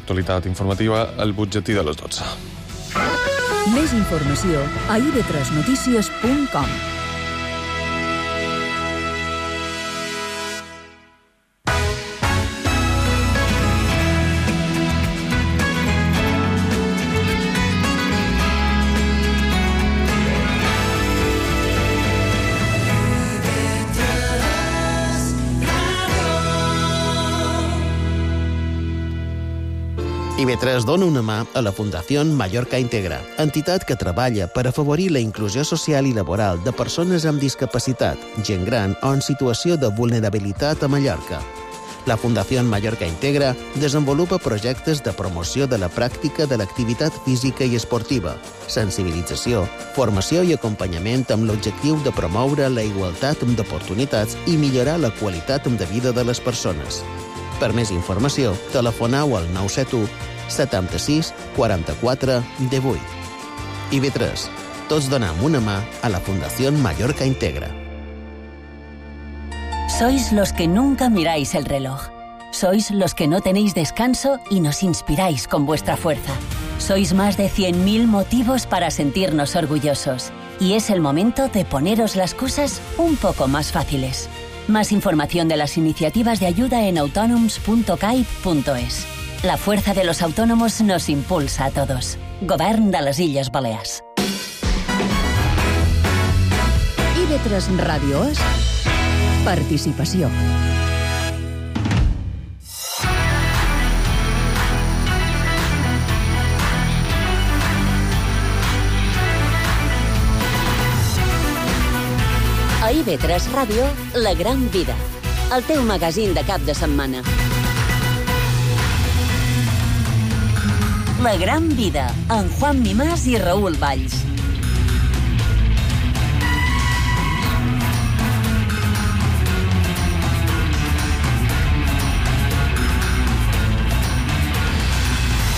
L'actualitat informativa al butlletí de les 12. Més informació a ib3notícies.com. IB3 dona una mà a la Fundació Mallorca Integra, entitat que treballa per afavorir la inclusió social i laboral de persones amb discapacitat, gent gran o en situació de vulnerabilitat a Mallorca. La Fundació Mallorca Integra desenvolupa projectes de promoció de la pràctica de l'activitat física i esportiva, sensibilització, formació i acompanyament amb l'objectiu de promoure la igualtat d'oportunitats i millorar la qualitat de vida de les persones. Per més informació, telefoneu al 971 76 44 18. IB3. Tots donem una mà a la Fundació Mallorca Integra. Sois los que nunca miráis el reloj. Sois los que no tenéis descanso y nos inspiráis con vuestra fuerza. Sois más de 100.000 motivos para sentirnos orgullosos. Y es el momento de poneros las cosas un poco más fáciles. Más información de las iniciativas de ayuda en autonoms.cai.es. La fuerza de los autónomos nos impulsa a todos. Govern de les Illes Balears. IB3 Ràdio és participació. A IB3 Ràdio, La Gran Vida, el teu magazín de cap de setmana. La Gran Vida, amb Juan Mimàs i Raül Valls.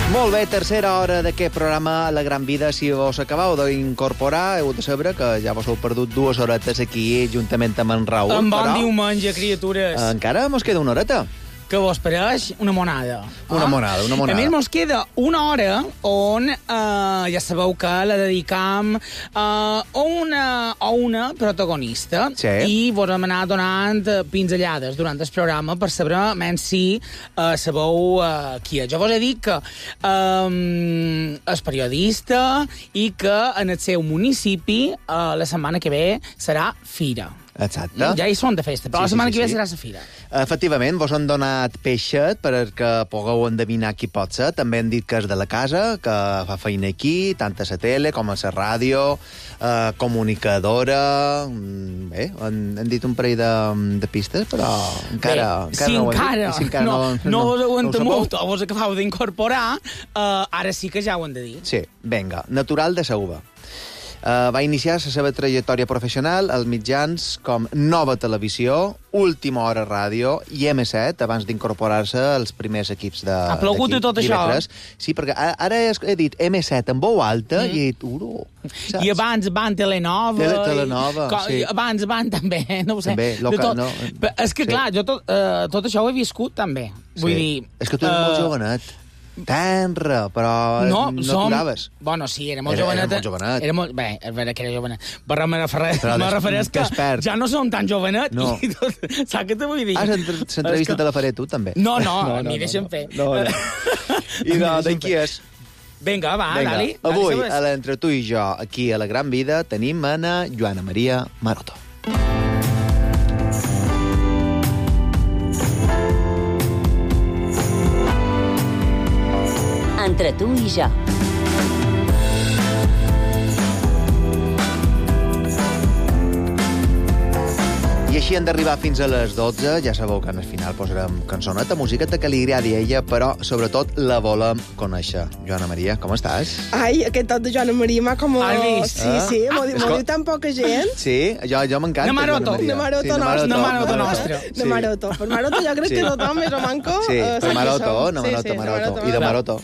Molt bé, tercera hora d'aquest programa La Gran Vida. Si us acabeu d'incorporar, heu de saber que ja vos heu perdut 2 horetes aquí, juntament amb en Raül. En bon diumenge, criatures. Encara mos queda una horeta. Que vos pareix una monada. Una monada. A més, mos queda una hora on ja sabeu que la dedicam a una protagonista. Sí. I vos hem anat donant pinzellades durant el programa per saber menys si sabeu qui és. Jo vos he dit que és periodista i que en el seu municipi la setmana que ve serà fira. Exacte. Ja hi són de festa, però la setmana que ve serà la fira. Efectivament, vos han donat peixet perquè pugueu endevinar qui pot ser. També han dit que és de la casa, que fa feina aquí, tant a la tele com a la ràdio, comunicadora... Bé, han dit un parell de pistes, però encara no vos ho entemut o vos acabeu d'incorporar, ara sí que ja ho han de dir. Sí, vinga, natural de Sauva. Va iniciar la seva trajectòria professional als mitjans com Nova Televisió, Última Hora Ràdio i M7, abans d'incorporar-se als primers equips de... Ha plogut i tot això? Sí, perquè ara he dit M7 en veu alta i he dit uro. I abans van Telenova. Sí. Abans van també, no ho sé. També, local, no. És que, clar, jo tot això ho he viscut també. Vull dir... És que tu eres molt jovenet. Tenra, però no t'uraves. Bueno, sí, era molt jovenet. Era molt jovenet. Bé, és veritat que era jovenet. Però me refereix que ja no som tan jovenet. No. Saps què te vull dir? L'entrevista te la faré tu, també. No, m'hi deixen fer. I de qui és? Vinga, va, dali. Avui, entre tu i jo, aquí a La Gran Vida, tenim a Joana Maria Maroto. Entre tu i jo. I així hem d'arribar fins a les 12. Ja sabeu que al final posarem cançoneta, musiqueta que li agradi a ella, però sobretot la volem conèixer. Joana Maria, com estàs? Ai, aquest tot de Joana Maria m'ha com... Has vist? Sí, m'ho diu tan poca gent. Sí, jo m'encanta. Namaroto nostre. Namaroto. Per Maroto jo crec que tothom més o manco... Sí, per Maroto. I de Maroto.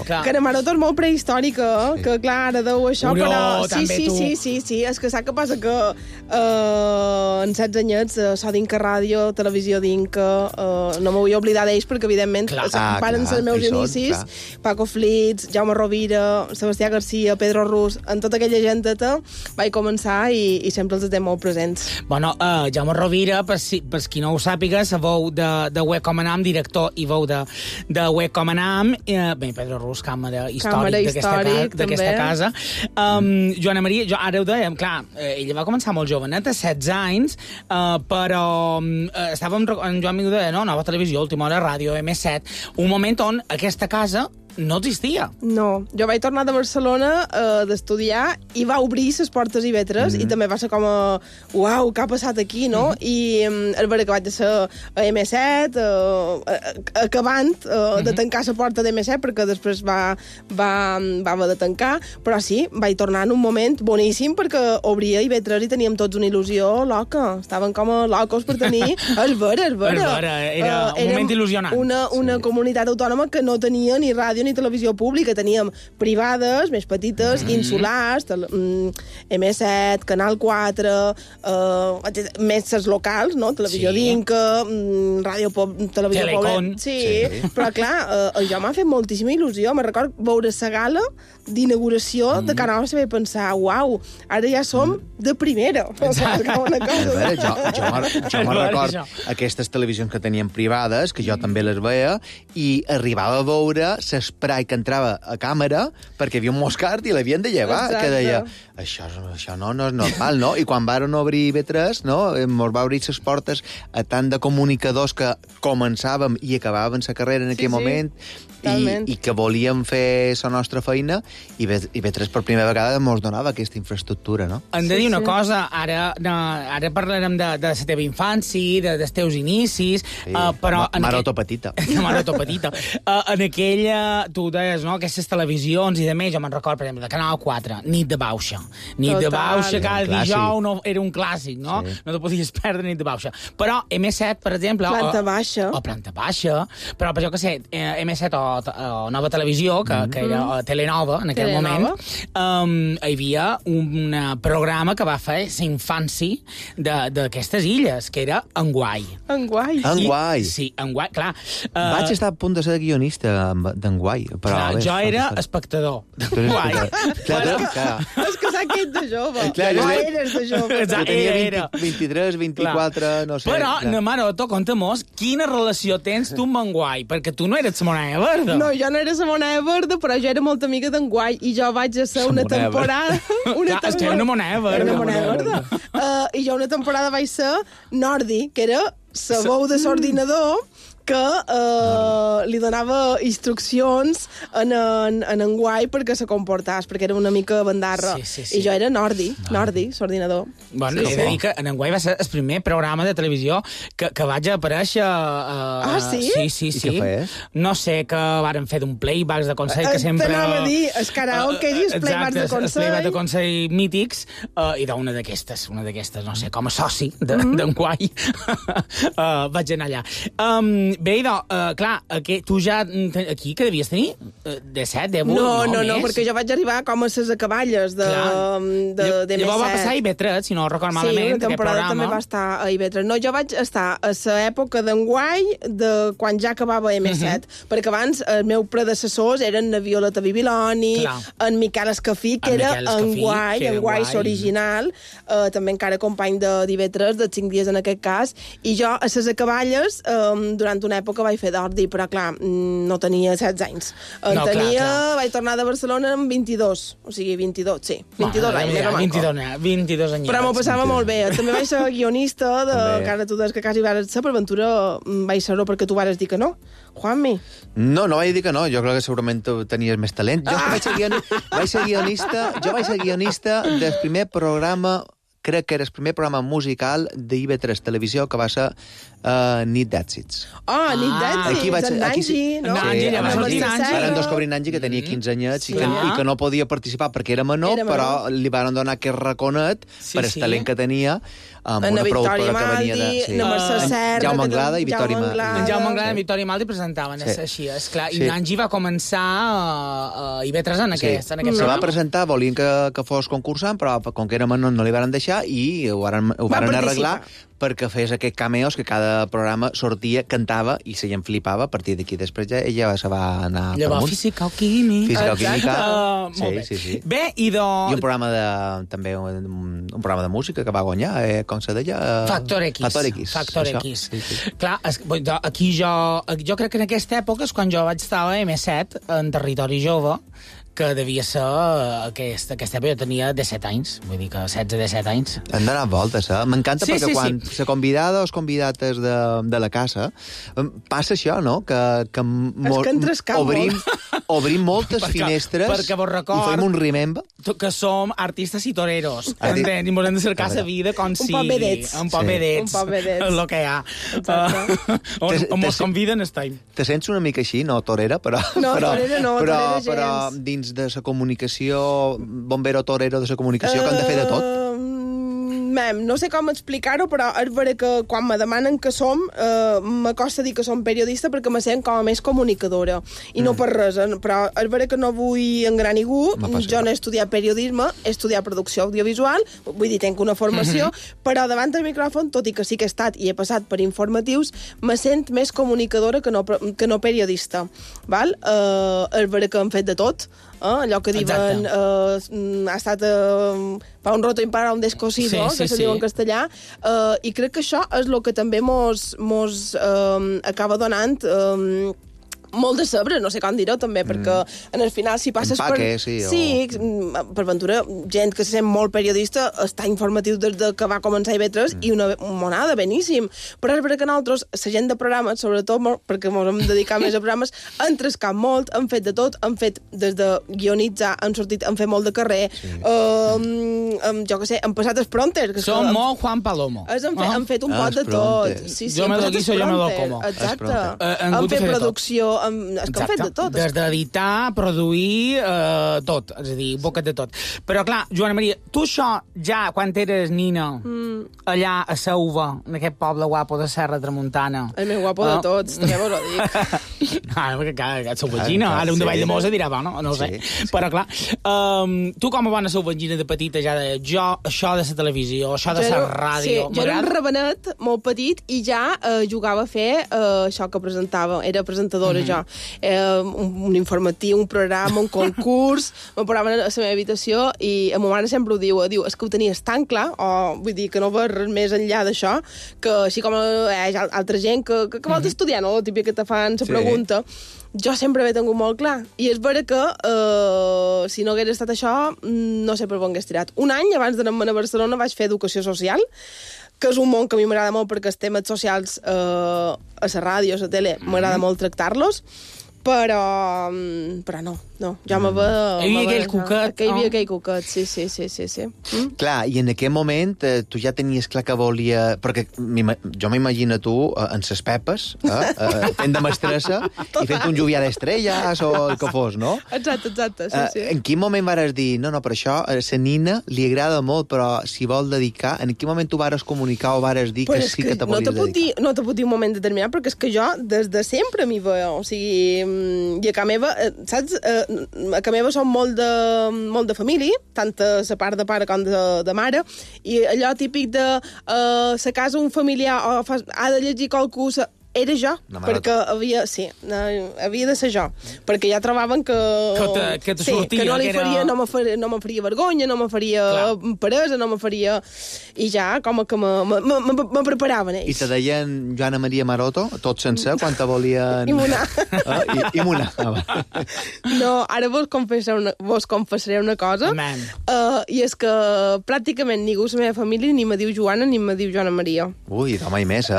Que Namaroto és molt prehistòrica, que clar, ara deu això, però... Sí, és que saps què passa? Que en 16 anys companys, so d'Inca Ràdio, Televisió d'Inca, no m'ho vull oblidar d'ells perquè, evidentment, van ser els meus inicis. Paco Flitz, Jaume Rovira, Sebastià Garcia, Pedro Rus, en tota aquella genteta vaig començar i sempre els té molt presents. Bueno, Jaume Rovira, per qui no ho sàpiga, la veu de Web Com Anam, director i veu de Web Com Anam, bé, Pedro Rus, càmera històric d'aquesta casa. Joana Maria, ara ho dèiem, clar, ella va començar molt joveneta, 16 anys, però estàvem, en Joan Miguel deia, no, Nova Televisió, Última Hora Ràdio, M7, un moment on aquesta casa no existia. No, jo vaig tornar de Barcelona d'estudiar i va obrir les portes IB3 i també va ser com a, uau, què ha passat aquí, no? I és vera que vaig ser a M7 acabant de tancar la porta d'M7 perquè després va haver de tancar, però sí, vaig tornar en un moment boníssim perquè obria IB3 i teníem tots una il·lusió loca, estaven com a locos per tenir el vera. Era un moment il·lusionant. Una comunitat autònoma que no tenia ni ràdio ni televisió pública, teníem privades, més petites, insulars, M7, Canal 4, més les locals, no? Televisió d'Inca, Ràdio Televisió Telecom. Sí, però clar, jo m'ha fet moltíssima il·lusió. Me record veure la gala d'inauguració de Canal se vaig pensar, uau, ara ja som de primera. Jo me record aquestes televisions que tenien privades, que jo també les veia, i arribava a veure l'esprai que entrava a càmera perquè hi havia un moscart i l'havien de llevar, que deia, això no és normal, no? I quan varen obrir IB3, no? Ens va obrir les portes a tant de comunicadors que començàvem i acabàvem la carrera en aquell moment i que volíem fer la nostra feina i IB3 per primera vegada ens donava aquesta infraestructura, no? Hem de dir una cosa, ara parlarem de la teva infància, dels teus inicis, però... Maroto petita. Maroto petita. En aquella, tu deies, no?, aquestes televisions i de més, jo me'n record, per exemple, de Canal 4, Nit de Bauxa. Nit de Bauxa, cada dijous era un clàssic, no? No te podies perdre Nit de Bauxa. Però M7, per exemple... Planta baixa. O Planta baixa, però per jo que sé, M7 o Nova Televisió, que era Telenova en aquell moment, hi havia un programa que va fer la infància d'aquestes illes, que era Enguai. Enguai? Sí, Enguai, clar. Vaig estar a punt de ser guionista d'Enguai, però... Clar, jo era espectador d'Enguai. És que s'ha quedat de jove. No eres de jove. Tenia 23, 24, no sé. Però, Maroto, conta-mos, quina relació tens tu amb Enguai? Perquè tu no eres la moneda verda. No, jo no era la moneda verda, però jo era molt amiga d'Enguai i jo vaig a ser una temporada... És que era una moneda verda. I jo una temporada vaig ser Nordi, que era la veu de l'ordinador que li donava instruccions en Enguai perquè se comportés, perquè era una mica bandarra. I jo era Nordi, l'ordinador. Bueno, he de dir que en Enguai va ser el primer programa de televisió que vaig aparèixer... sí? Sí. I què feies? No sé, que varen fer d'un playbacks de Consell que sempre... T'anava a dir, el karaoke i els playbacks de Consell. Els playbacks de Consell mítics, i d'una d'aquestes, no sé, com a soci d'Enguai, vaig anar allà. Bé, clar, tu ja aquí que devies tenir? De 7, de 8, no, perquè jo vaig arribar com a les acaballes de M7. Llavors va passar a IB3, si no record malament, una temporada també va estar a IB3. No, jo vaig estar a l'època d'Enguai, de quan ja acabava M7, perquè abans els meus predecessors eren la Violeta Bibiloni, en Miquel Escafí, que era Enguai l'original, també encara company d'IB3, de 5 dies en aquest cas, i jo a les acaballes, durant una època vaig fer d'ordi, però clar, no tenia 16 anys. Vaig tornar de Barcelona amb 22, o sigui, 22, sí, 22 anys. 22 anys. Però m'ho passava molt bé. També vaig ser guionista, que ara tu des que quasi vas ser, per ventura vaig ser-ho perquè tu vas dir que no. Juanmi? No vaig dir que no, jo crec que segurament tenies més talent. Jo vaig ser guionista del primer programa, crec que era el primer programa musical d'IB3 Televisió, que va ser Nit d'Èxits. Nit d'Èxits, en Nanji, no? Eren dos cobrin Nanji, que tenia 15 anyets i que no podia participar perquè era menor, però li van donar aquest raconet per el talent que tenia amb una productora que venia de... Jaume Anglada i Victòria Maldi. En Jaume Anglada i Victòria Maldi presentaven, així, esclar. I Nanji va començar a IB3 en aquest Se va presentar, volien que fos concursant, però com que era menor no li van deixar deixar i ho varen arreglar perquè fes aquests cameos que cada programa sortia, cantava i la gent flipava. A partir d'aquí després ella se va anar per amunt. Física o química. Física o química. Molt bé. Sí. Bé, i un programa també un programa de música que va guanyar, com se deia? Factor X. Factor X. Sí. Clar, aquí jo crec que en aquesta època és quan jo vaig estar a M7, en Territori Jove, que devia ser aquesta època, jo tenia 17 anys, vull dir que 16-17 anys. Han donat voltes, M'encanta perquè quan la convidada o els convidates de la casa passa això, no? Que obrim moltes finestres perquè vos record, i fem un remember. Que som artistes i toreros, entens? I ens hem de cercar la vida com si... Un poc vedets. El que hi ha. On mos conviden estem. Te sents una mica així, no torera, però... No, torera no, torera gens. Però dins de la comunicació, bombero torero de la comunicació, que han de fer de tot? No sé com explicar-ho, però és vera que quan me demanen que som, m'acosta dir que som periodista perquè me sent com a més comunicadora. I no per res, però és vera que no vull engrar ningú. Jo no he estudiat periodisme, he estudiat producció audiovisual, vull dir, tenc una formació, però davant del micròfon, tot i que sí que he estat i he passat per informatius, me sent més comunicadora que no periodista. Val? És vera que hem fet de tot, allò que diuen ha estat pa un roto impar a un descosido, que se diu en castellà, i crec que això és el que també mos acaba donant molt de sabre, no sé com dir-ho també, perquè en el final si passes per ventura, gent que se sent molt periodista està informatiu des que va començar IB3 i una monada, beníssim, però és perquè nosaltres, la gent de programes, sobretot perquè ens hem dedicat més a programes, han trescat molt, han fet de tot, han fet des de guionitzar, han fet molt de carrer, jo què sé, han passat els prompters. Som molt Juan Palomo. Han fet un pot de tot. Jo me lo guiso, jo me lo como. Exacte. Han fet producció, és que han fet de tot. Des d'editar, produir, tot, és a dir, boca de tot. Però clar, Joana Maria, tu això ja, quan eres nina, allà a Sauva, en aquest poble guapo de Serra Tramuntana... El més guapo de tots, també vos ho dic. Perquè clar, sauvagina, ara un de Vall de Mosa dirà, bueno, no ho sé. Però clar, tu com a bona sauvagina de petita ja de jo, això de la televisió, això de la ràdio... Sí, jo era un rabenet molt petit i ja jugava a fer això que presentava, era presentadora jo. Un informatiu, un programa, un concurs, me posaven a la meva habitació i a ma mare sempre ho diu, és que ho tenies tan clar, o vull dir que no veus res més enllà d'això, que així com hi ha altra gent que vols estudiar, no? La típica que te fan la pregunta, jo sempre he tingut molt clar. I és vera que si no hagués estat això, no sé per on hagués tirat. Un any, abans d'anar-me'n a Barcelona, vaig fer educació social, que és un món que a mi m'agrada molt perquè els temes socials a la ràdio, a la tele, m'agrada molt tractar-los, però no, ja me ve... Hi havia aquell cuquet. Hi havia aquell cuquet, sí. Clar, i en aquell moment tu ja tenies clar que volia... Perquè jo m'imagino tu en ses pepes, fent de mestressa i fent un lluvià d'estrelles o el que fos, no? Exacte, sí. En quin moment vares dir, no, però això a la nina li agrada molt, però si vol dedicar, en quin moment tu vares comunicar o vares dir que sí que te volies dedicar? No te puc dir un moment determinat, perquè és que jo des de sempre m'hi veo, o sigui... I a Ca meva, saps? A Ca meva som molt de família, tant a la part de pare com de mare, i allò típic de la casa un familiar ha de llegir qualcú... Era jo, perquè havia de ser jo, perquè ja trobaven que no li faria, no me faria vergonya, no me faria peresa, no me faria... I ja, com que me preparaven ells. I te deien Joana Maria Maroto, tot sencer, quan te volien... Imunar. Imunar. No, ara vos confessaré una cosa, i és que pràcticament ningú a la meva família ni me diu Joana ni me diu Joana Maria. Ui, home, i més,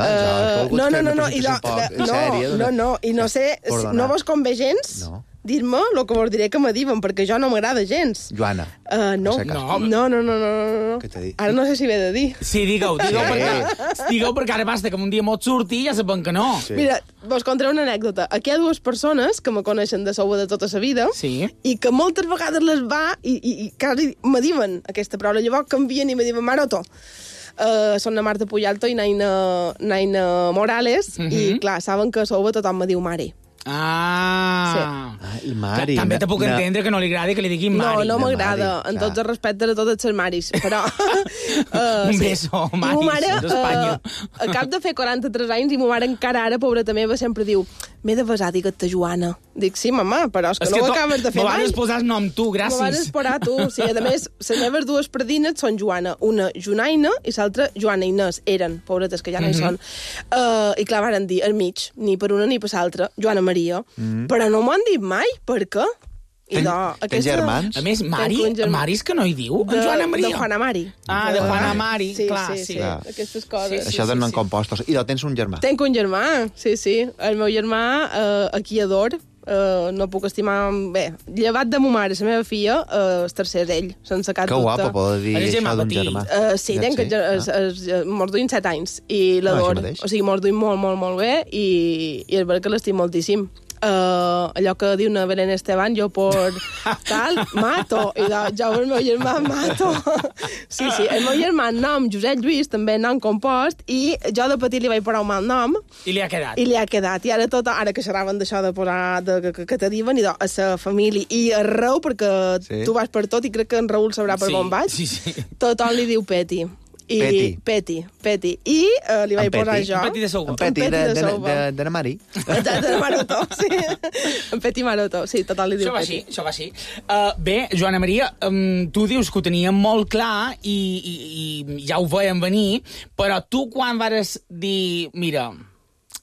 No, i no sé, no vos convé gens dir-me el que vos diré que me diuen, perquè jo no m'agrada gens. Joana. No. Què t'he dit? Ara no sé si ve de dir. Sí, digueu, perquè ara basta que un dia m'ho surti i ja saben que no. Mira, vos contaré una anècdota. Aquí hi ha dues persones que me coneixen de Sauva de tota la vida i que moltes vegades les va i quasi me diuen aquesta paraula. Llavors canvien i me diuen Maroto. Són la Marta Puyalto i Naina Morales, i clar, saben que a Sauva tothom me diu mare. I Mari... També te puc entendre que no li agradi que li diguin Mari. No m'agrada, en tots els respectes a totes les Maris, però... Un beso, Maris, d'Espanya. A cap de fer 43 anys, i ma mare encara ara, pobreta meva, sempre diu m'he de besar, digues-te Joana. Dic, sí, mama, però és que no ho acabes de fer mai. Me vas posar el nom tu, gràcies. Me vas esperar tu. Sí, a més, les meves dues predines són Joana. Una Joanaina i l'altra Joana Inés. Eren, pobretes, que ja no hi són. I clar, varen dir, al mig, ni per una ni per l'altra, Joana Maria. Però no m'ho han dit mai. Per què? Tens germans? A més, Mari és que no hi diu? En Joana Maria? De Juana Mari. De Juana Mari, clar. Sí. Aquestes coses. Això donen compostos. I tens un germà? Tenc un germà, sí. El meu germà, aquí ador, no puc estimar... Bé, llevat de ma mare, la meva filla, el tercer d'ell, sense cap dubte. Que guapo poder dir això d'un germà. Sí, mos duim 7 anys, i l'ador. O sigui, mos duim molt, molt, molt bé, i és veritat que l'estim moltíssim. Allò que diu una Belén Esteban, jo por tal, mato. I jo el meu germà mato. Sí, el meu germà nom Josep Lluís, també nom compost, i jo de petit li vaig posar un mal nom. I li ha quedat. I ara que xerraven d'això de posar, que te diuen, i a la família, i arreu, perquè tu vas per tot, i crec que en Raül sabrà per on vaig. Tothom li diu Peti. Peti. I li vaig posar jo. Un Peti de Souba. Un Peti de Mari. De Maroto, sí. En Peti Maroto, sí, total li diu Peti. Això va així. Bé, Joana Maria, tu dius que ho teníem molt clar i ja ho veiem venir, però tu quan vas dir, mira,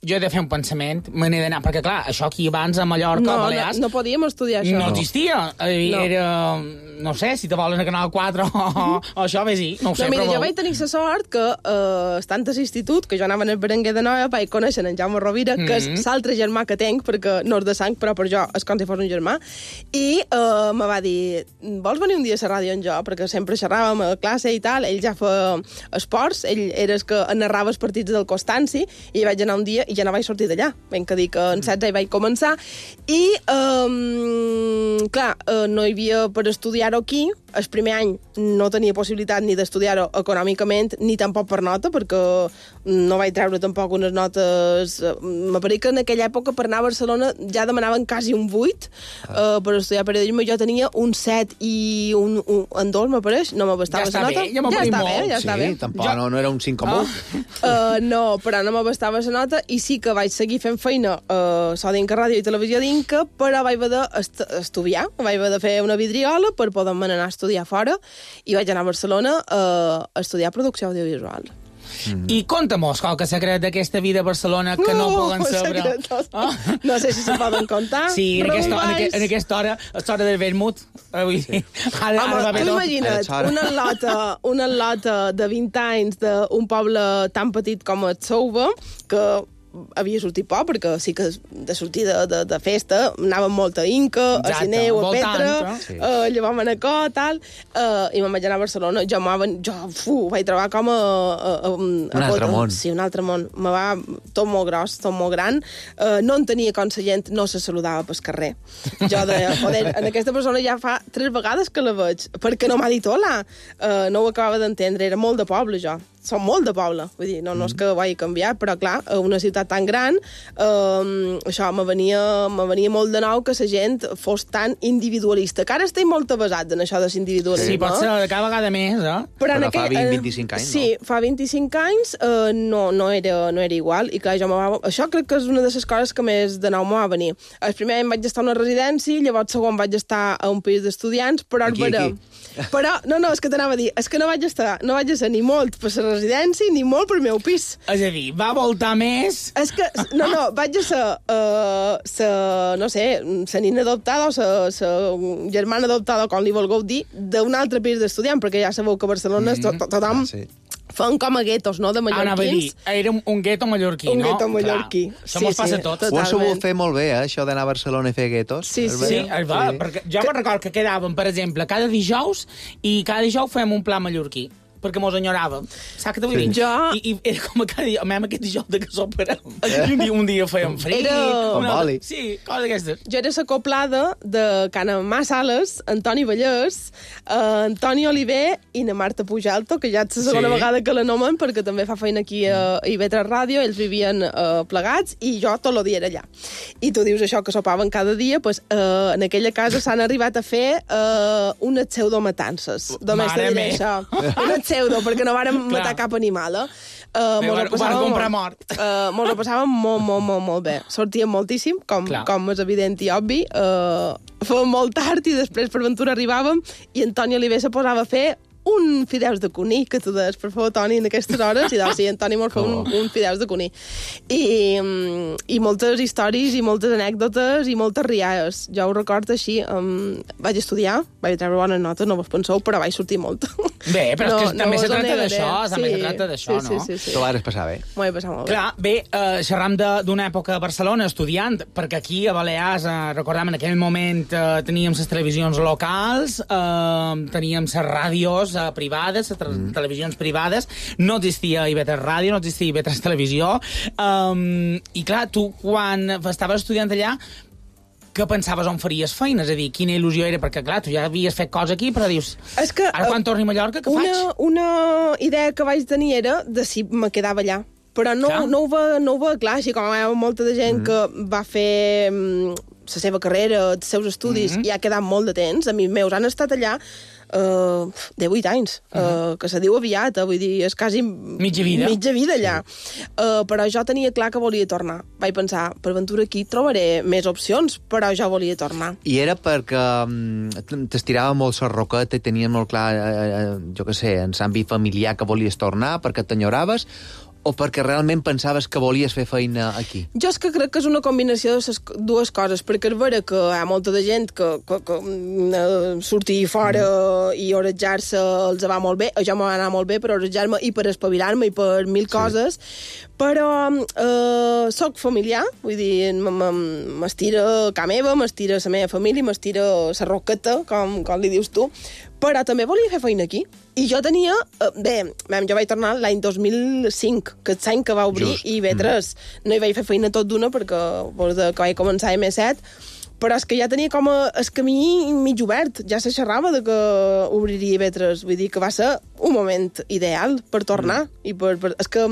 jo he de fer un pensament, me n'he d'anar, perquè clar, això aquí abans a Mallorca, a Balears... No podíem estudiar això. No existia. Era, no sé, si te volen a Canal 4 o això, bé, sí, no ho sé, mira, però... jo vaig tenir la sort que, estant a l'institut, que jo anava al Berenguer de Noia, vaig conèixer en Jaume Rovira, que és l'altre germà que tenc, perquè no és de sang, però per jo és com si fos un germà, i me va dir, vols venir un dia a la ràdio amb jo? Perquè sempre xerràvem a classe i tal, ell ja fa esports, ell era el que narrava els partits del Constanci, i vaig anar un dia i ja no vaig sortir d'allà. Ben que dic que en 16 hi vaig començar. I, clar, no hi havia per estudiar-ho aquí. El primer any no tenia possibilitat ni d'estudiar-ho econòmicament, ni tampoc per nota, perquè no vaig treure tampoc unes notes... M'apareix que en aquella època per anar a Barcelona ja demanaven quasi un 8 per estudiar periodisme. Jo tenia un 7 i un 2, m'apareix. No m'abastava la nota. Ja està bé. Tampoc no era un 5,1. No, però no m'abastava la nota, i sí que vaig seguir fent feina a Dinca Ràdio i Televisió Dinca, però vaig haver d'estudiar, vaig haver de fer una vidriola per poder-me anar a estudiar fora, i vaig anar a Barcelona a estudiar producció audiovisual. I conta-mos qualque secret d'aquesta vida a Barcelona que no poden saber. No sé si se poden contar. Sí, en aquesta hora, és hora del vermut. Home, tu imagina't una lota de 20 anys d'un poble tan petit com el Souba, que havia sortit poc, perquè sí que de sortida de festa anàvem molt a Inca, a Sineu, a Petra, a Llevar Manacor, tal, i me'n vaig anar a Barcelona. Jo ho vaig trobar com un altre món. Sí, un altre món. Me va tot molt gros, tot molt gran. No en tenia com la gent no se saludava pel carrer. Jo deia, joder, en aquesta persona ja fa 3 vegades que la veig, perquè no m'ha dit hola. No ho acabava d'entendre, era molt de poble, jo. Som molt de poble, vull dir, no és que ho hagi canviat, però clar, una ciutat tan gran, això me venia molt de nou que la gent fos tan individualista, que ara estic molt avasat en això de l'individualisme. Sí, pot ser cada vegada més, Però fa 25 anys, no? Sí, fa 25 anys no era igual, i clar, això crec que és una de les coses que més de nou m'ho va venir. El primer any vaig estar a una residència, llavors segon vaig estar a un pis d'estudiants, però Però, és que t'anava a dir, és que no vaig estar ni molt per la residència ni molt per meu pis. És a dir, va voltar més... És que, vaig a ser, no sé, la nina adoptada o la germana adoptada, com li vulgueu dir, d'un altre pis d'estudiant, perquè ja sabeu que a Barcelona tothom... Fan com a guetos, no?, de mallorquins. Era un gueto mallorquí, no? Un gueto mallorquí. Això mos passa a tots. Ho has sabut fer molt bé, això d'anar a Barcelona i fer guetos. Sí. Perquè jo me'n recordo que quedàvem, per exemple, cada dijous fem un pla mallorquí. perquè mos enyoràvem. Saps què t'ho vull dir? I era com cada dia, aquest dijous de que s'operem. Un dia fèiem frit. Sí, coses d'aquestes. Jo era l'acoplada de Can Amà Sales, Antoni Vallès, Antoni Oliver i na Marta Pujalto, que ja és la segona vegada que la nomen, perquè també fa feina aquí a IB3 Ràdio, ells vivien plegats, i jo tot el dia era allà. I tu dius això, que sopaven cada dia, doncs en aquella casa s'han arribat a fer unes pseudomatances. Només te diré això. Unes pseudo, perquè no vàrem matar cap animal, Mos ho passàvem molt bé. Sortíem moltíssim, com és evident i obvi. Fèiem molt tard i després per ventura arribàvem i Antoni Oliver se posava a fer un fideus de cuní, que tu deies, per favor, Toni, en aquestes hores, i doncs sí, Antoni molt fa un fideus de cuní. I moltes històries, i moltes anècdotes, i moltes riades. Jo ho recordo així. Vaig estudiar, vaig treure bones notes, no vos penseu, però vaig sortir molt. Bé, però és que també se tracta d'això, també se tracta d'això, no? Sí. T'ho vas passar bé. M'ho vaig passar molt bé. Clar, bé, xerram d'una època a Barcelona estudiant, perquè aquí a Balears, recordem, en aquell moment teníem les televisions locals, teníem les ràdios privades, televisions privades, no existia IB3 Ràdio, no existia IB3 Televisió, i clar, tu quan estaves estudiant allà, què pensaves on faries feina? És a dir, quina il·lusió era? Perquè, clar, tu ja havies fet coses aquí, però dius, ara quan torni a Mallorca, què faig? Una idea que vaig tenir era de si me quedava allà. Però no ho veia clar, així com hi ha molta de gent que va fer la seva carrera, els seus estudis, i ha quedat molt de temps. A mi meus han estat allà 18 anys, que se diu aviat, vull dir, és quasi mitja vida allà. Però jo tenia clar que volia tornar. Vaig pensar, per ventura aquí trobaré més opcions, però jo volia tornar. I era perquè t'estirava molt la roqueta i tenies molt clar, jo què sé, en l'àmbit familiar que volies tornar, perquè t'enyoraves, o perquè realment pensaves que volies fer feina aquí? Jo és que crec que és una combinació de les dues coses, perquè és vera que hi ha molta de gent que sortir fora i orejar-se els va molt bé, jo m'ho va anar molt bé per orejar-me i per espavilar-me i per mil coses, però soc familiar, vull dir, m'estira ca meva, m'estira la meva família, m'estira la roqueta, com li dius tu, però també volia fer feina aquí. I jo tenia... jo vaig tornar l'any 2005, que és l'any que va obrir IB3. No hi vaig fer feina tot d'una perquè que vaig començar a M7, però és que ja tenia com el camí mig obert. Ja se xerrava de que obriria IB3. Vull dir que va ser un moment ideal per tornar. I és que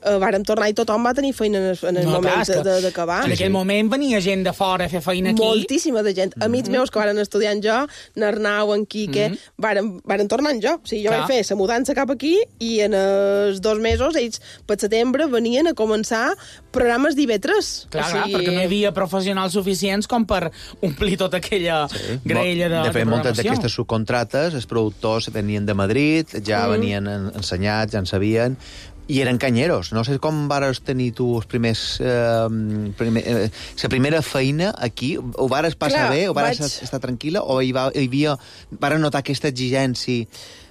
vàrem tornar i tothom va tenir feina en el moment d'acabar. En aquell moment venia gent de fora a fer feina aquí. Moltíssima de gent. Amics meus que varen estudiar en jo, n'Arnau, en Quique, varen tornar en jo. O sigui, jo vaig fer la mudança cap aquí i en els 2 mesos ells per setembre venien a començar programes d'IB3. Clar, perquè no hi havia professionals suficients com per omplir tota aquella graella de programació. De fet, moltes d'aquestes subcontrates, els productors venien de Madrid, ja venien ensenyats, ja en sabien, i eren canyeros. No sé com vares tenir tu els primers... la primera feina aquí, ho vares passar bé, o vares estar tranquil·la, o hi havia... Vares notar aquesta exigència...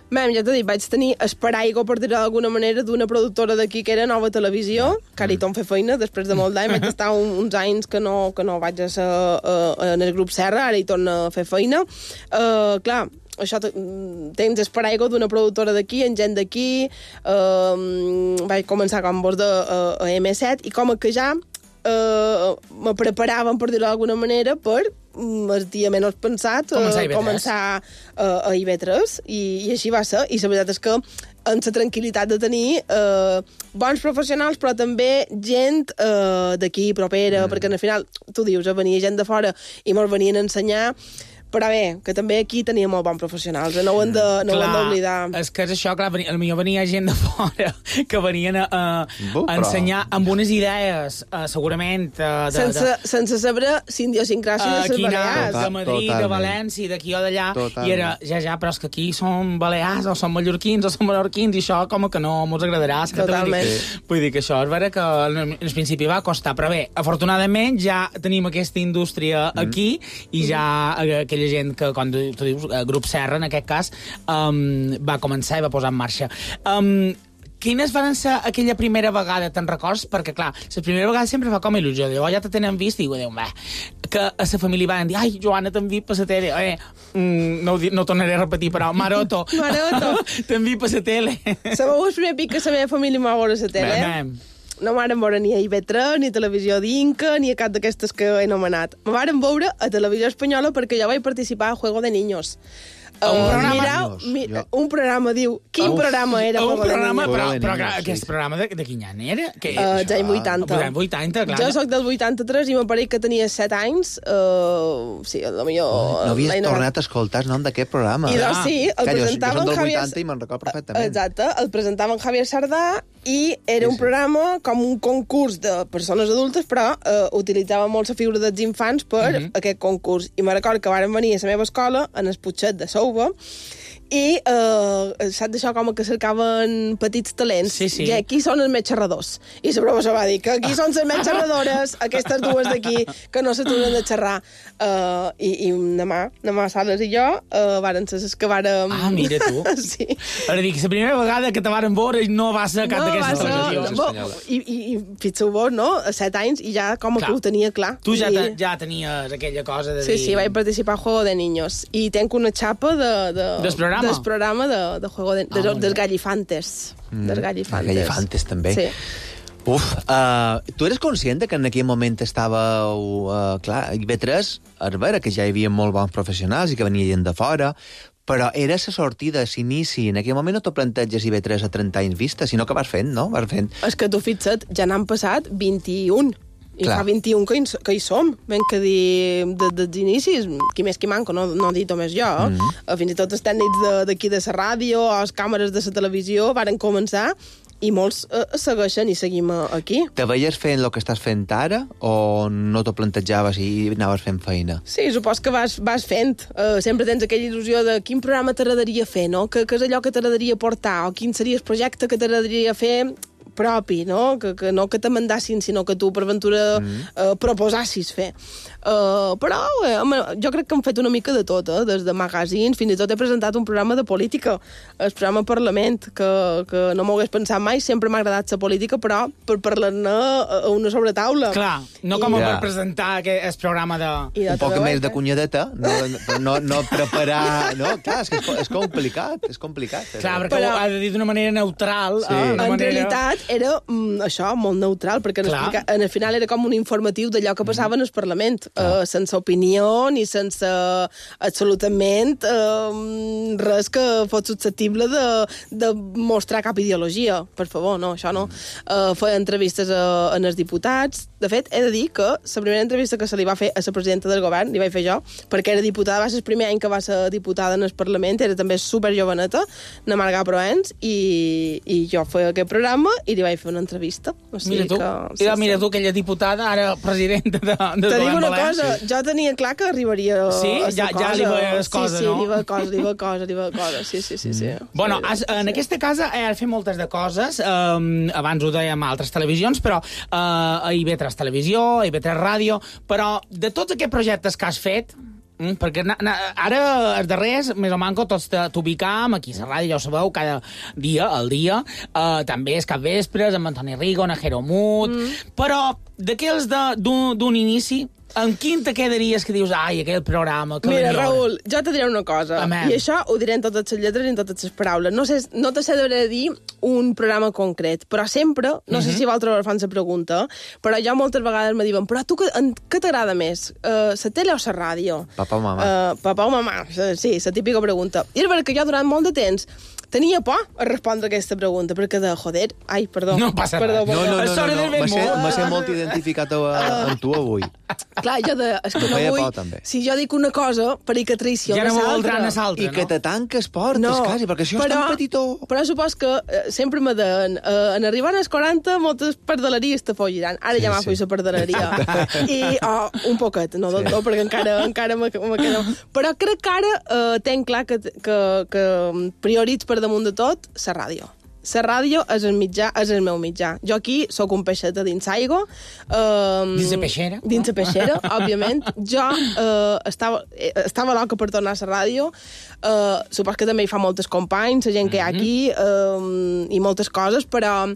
Ja t'ho dic, vaig tenir esparaigua, per dir-ho d'alguna manera, d'una productora d'aquí que era Nova Televisió, que ara hi torno a fer feina, després de molt d'any, vaig estar uns anys que no vaig a ser en el grup Serra, ara hi torno a fer feina. Clar, això tens esparaigua d'una productora d'aquí, en gent d'aquí, vaig començar com vos a M7, i com que ja me preparaven, per dir-ho d'alguna manera, per el dia menys pensat començar a IB3, i així va ser. I la veritat és que amb la tranquil·litat de tenir bons professionals, però també gent d'aquí propera, perquè al final, tu dius, venia gent de fora i me'ls venien a ensenyar, però bé, que també aquí tenia molt bons professionals, no ho hem d'oblidar. És que és això, clar, potser venia gent de fora que venien a ensenyar amb unes idees, segurament... Sense saber idiosincràsia de les Balears. De Madrid, de València, d'aquí o d'allà, i era, però és que aquí som balears, o som mallorquins, o som menorquins, i això com que no mos agradarà. Totalment. Vull dir que això és vera que al principi va costar, però bé, afortunadament ja tenim aquesta indústria aquí, i ja aquella gent que, quan tu dius, Grup Serra, en aquest cas, va començar i va posar en marxa. quines van ser aquella primera vegada, te'n records? Perquè, clar, la primera vegada sempre fa com il·lusió. Diu, ja te tenen vist, i diu, que a la família van dir, ai, Joana, t'han vist per la tele. No tornaré a repetir, però Maroto. T'han vist per la tele. Sabeu el primer pic que la meva família m'ha veure a la tele? No m'han veure ni a IB3, ni a Televisió d'Inca, ni a cap d'aquestes que he anomenat. Me varen veure a Televisió Espanyola perquè jo vaig participar a Juego de Niños. Un programa, diu. Quin programa era? Un programa, però aquest programa de quin any era? Ja en 80. 80, clar. Jo soc del 83 i m'apareix que tenia 7 anys. Sí, a lo millor... No havies tornat a escoltar el nom d'aquest programa. I doncs sí, el presentaven Javier... Jo som del 80 Javier... i me'n record perfectament. Exacte, el presentaven Javier Sardà i era un programa com un concurs de persones adultes, però utilitzava molt la figura dels infants per aquest concurs. I me record que varen venir a la meva escola, en el Putxet de Souva, i saps d'això com que cercaven petits talents. Sí. I aquí són els més xerradors. I la professora va dir que aquí són les més xerradores, aquestes dues d'aquí, que no s'aturen de xerrar. I demà Sales i jo varen ser les que vàrem... Ah, mira tu. Sí. Ara dic, la primera vegada que te varen veure no va ser cap d'aquestes televisions. I fixeu vos, no? A 7 anys, i ja com que ho tenia clar. Tu ja tenies aquella cosa de dir... Sí, vaig participar a Juego de Niños. I tenc una xapa del programa de Juego de... dels Gallifantes. Dels Gallifantes. Gallifantes, també. Sí. Tu eres conscient que en aquell moment estàveu... clar, a IB3, a veure que ja hi havia molt bons professionals i que venia gent de fora, però era la sortida, l'inici. En aquell moment no t'ho planteges IB3 a 30 anys vista, sinó que vas fent, no? Vas fent. És que tu fixa't, ja n'han passat 21. I clar. Fa 21 que hi som, ben que dir dels inicis, qui més qui manco, no dit més jo. Fins i tot els tècnics d'aquí de la ràdio o les càmeres de la televisió varen començar i molts segueixen i seguim aquí. Te veies fent el que estàs fent ara o no t'ho plantejaves i anaves fent feina? Sí, supos que vas fent. Sempre tens aquella il·lusió de quin programa t'agradaria fer, no? Que és allò que t'agradaria portar o quin seria el projecte que t'agradaria fer propi, no? Que no que te mandassin, sinó que tu per ventura proposassis fer. Però jo crec que hem fet una mica de tot, des de magazines, fins i tot he presentat un programa de política, el programa Parlament, que no m'ho hagués pensat mai, sempre m'ha agradat la política, però per parlar-ne a una sobretaula. Clar, no com per presentar el programa de... Un poc més de cunyadeta, no preparar... No, clar, és complicat, és complicat. Clar, perquè ho ha de dir d'una manera neutral. En realitat era això, molt neutral, perquè en el final era com un informatiu d'allò que passava en el Parlament, sense opinió ni sense absolutament res que fos susceptible de mostrar cap ideologia. Per favor, no, això no. Feia entrevistes en els diputats. De fet, he de dir que la primera entrevista que se li va fer a la presidenta del govern, li vaig fer jo, perquè era diputada, va ser el primer any que va ser diputada en el Parlament, era també superjoveneta, na Marga Proens, i jo feia aquest programa i li vaig fer una entrevista. O sigui mira tu, aquella diputada, ara presidenta del govern. Te dic una cosa, jo tenia clar que arribaria a ja li veies cosa, no? Sí, li veia cosa, sí. Bueno, en aquesta casa has fet moltes de coses, abans ho dèiem a altres televisions, però a IB3 Televisió, a IB3 Ràdio, però de tots aquests projectes que has fet, perquè ara els darrers, més o manco, tots t'ubicam aquí a la ràdio, ja ho sabeu, cada dia, al dia, també és capvespres, amb Antoni Rigo, Najero Mut, però d'aquells d'un inici, amb quin te quedaries que dius, ai, aquell programa... Mira, Raül, jo te diré una cosa, i això ho diré en totes les lletres i en totes les paraules. No te sé de dir un programa concret, però sempre, no sé si vosaltres fan la pregunta, però jo moltes vegades me diuen, però tu què t'agrada més, la tele o la ràdio? Papa o mamà. Papa o mamà, sí, la típica pregunta. I és perquè jo durant molt de temps tenia por a respondre aquesta pregunta, perquè joder... Ai, perdó. No passa res. M'ha sent molt identificat amb tu avui. Clar, és que no vull... Si jo dic una cosa, per que traïciona ja no voldran a l'altra, no? I que te tanques portes, quasi, perquè això és tan petitó. Però supos que sempre me deien, en arribar als 40, moltes perdeleries te folliran. Ara ja m'ha fet la perdeleria. I un poquet, no del tot, perquè encara me queda... Però crec que ara tenc clar que prioritz per damunt de tot la ràdio. la ràdio és el mitjà, és el meu mitjà. Jo aquí sóc un peixet dins aigua. Dins la peixera. Dins la peixera, òbviament. Jo estava loca per tornar a la ràdio. Supos que també hi fa moltes companys, la gent que hi ha aquí, i moltes coses, però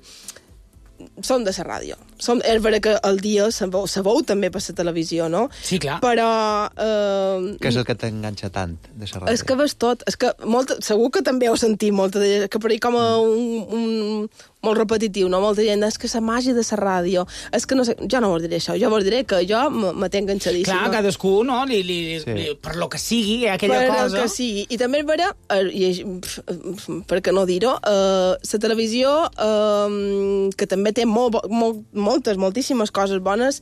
som de la ràdio. És vera que el dia se veu també per la televisió, no? Sí, clar. Però... Què és el que t'enganxa tant de la ràdio? És que ves tot. És que segur que també heu sentit molta de gent, que per ahí com un molt repetitiu, no? Molta gent, és que la màgia de la ràdio. És que no sé, jo no vos diré això. Jo vos diré que jo me tenc enganxadíssima. Clar, cadascú, no? Per lo que sigui, aquella cosa... Per lo que sigui. I també és vera, per què no dir-ho, la televisió, que també té moltíssimes coses bones,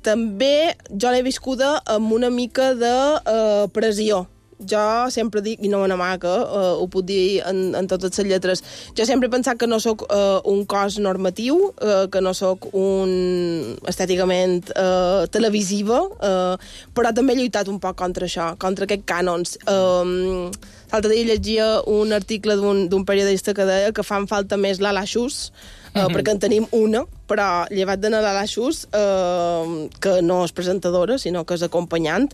també jo l'he viscuda amb una mica de pressió. Jo sempre dic, i no m'amaga, ho puc dir en totes les lletres, jo sempre he pensat que no sóc un cos normatiu, que no sóc estèticament televisiva, però també he lluitat un poc contra això, contra aquests cànons. L'altre dia llegia un article d'un periodista que deia que fan falta més l'Alaxús, perquè en tenim una, però llevat de l'Alaxús, que no és presentadora, sinó que és acompanyant,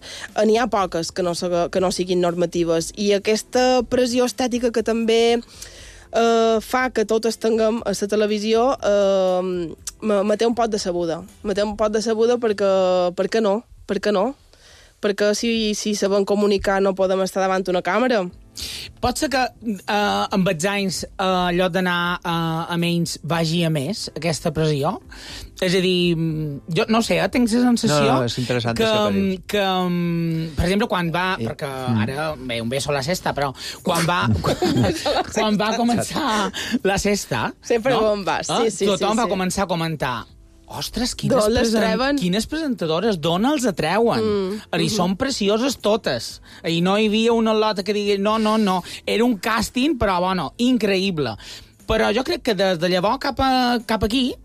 n'hi ha poques que no siguin normatives. I aquesta pressió estètica que també fa que totes tinguem a la televisió me té un pot de sabuda. Me té un pot de sabuda perquè... Per què no? Per què no? Perquè si sabem comunicar no podem estar davant d'una càmera. Pot ser que amb els anys allò d'anar a menys vagi a més, aquesta pressió? És a dir, jo no sé, tinc la sensació és interessant que per exemple, quan va... Perquè ara, bé, un beso a la sexta, però quan va començar la sexta... Sempre on vas, sí. Tothom va començar a comentar: ostres, quines presentadores, d'on els atreuen? I són precioses totes. I no hi havia una lota que digui no. Era un càsting, però, bueno, increïble. Però jo crec que des de llavors cap aquí